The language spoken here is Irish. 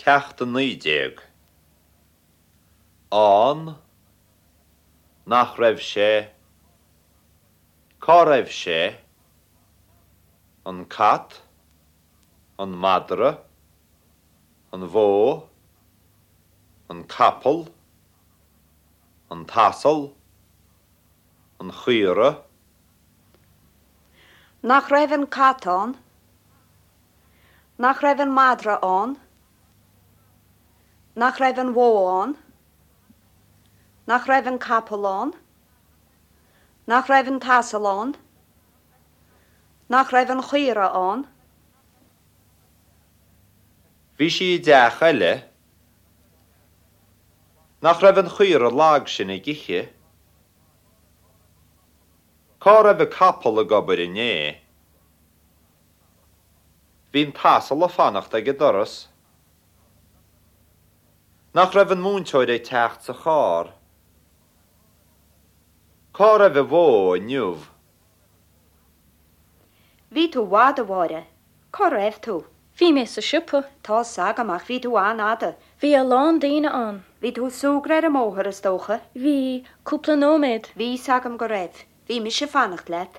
Ceacht 19. Ann. Nach raibh sé. Cá raibh sé? An cat. An madra. An bhó. An capall. An t-asal. An chaora. Nach raibh an cat ann? Nach raibh an madra ann? Nach raibh an bhó ann? Nach raibh an capall ann? Nach raibh an t-asal ann? Nach raibh an chaora ann? Bhí sí i dteach eile. Nach raibh an chaora lag sin ag ithe? Cá raibh an capall ag obair inné? Bhí an t-asal ag fanacht ag an doras. Nach raibh an múinteoir ag teacht sa charr? Cá raibh an bhó inniu? Bhí tú i bhfad, a Mháire. Cá raibh tú? Bhí mé sa siopa. Tá's agam, ach bhí tú an-fhada. Bhí a lán daoine ann. Bhí tú ag súgradh ar an mbóthar, is dócha? Bhí, cúpla nóiméad. Bhí 'fhios agam go raibh. Bhí mise ag fanacht leat.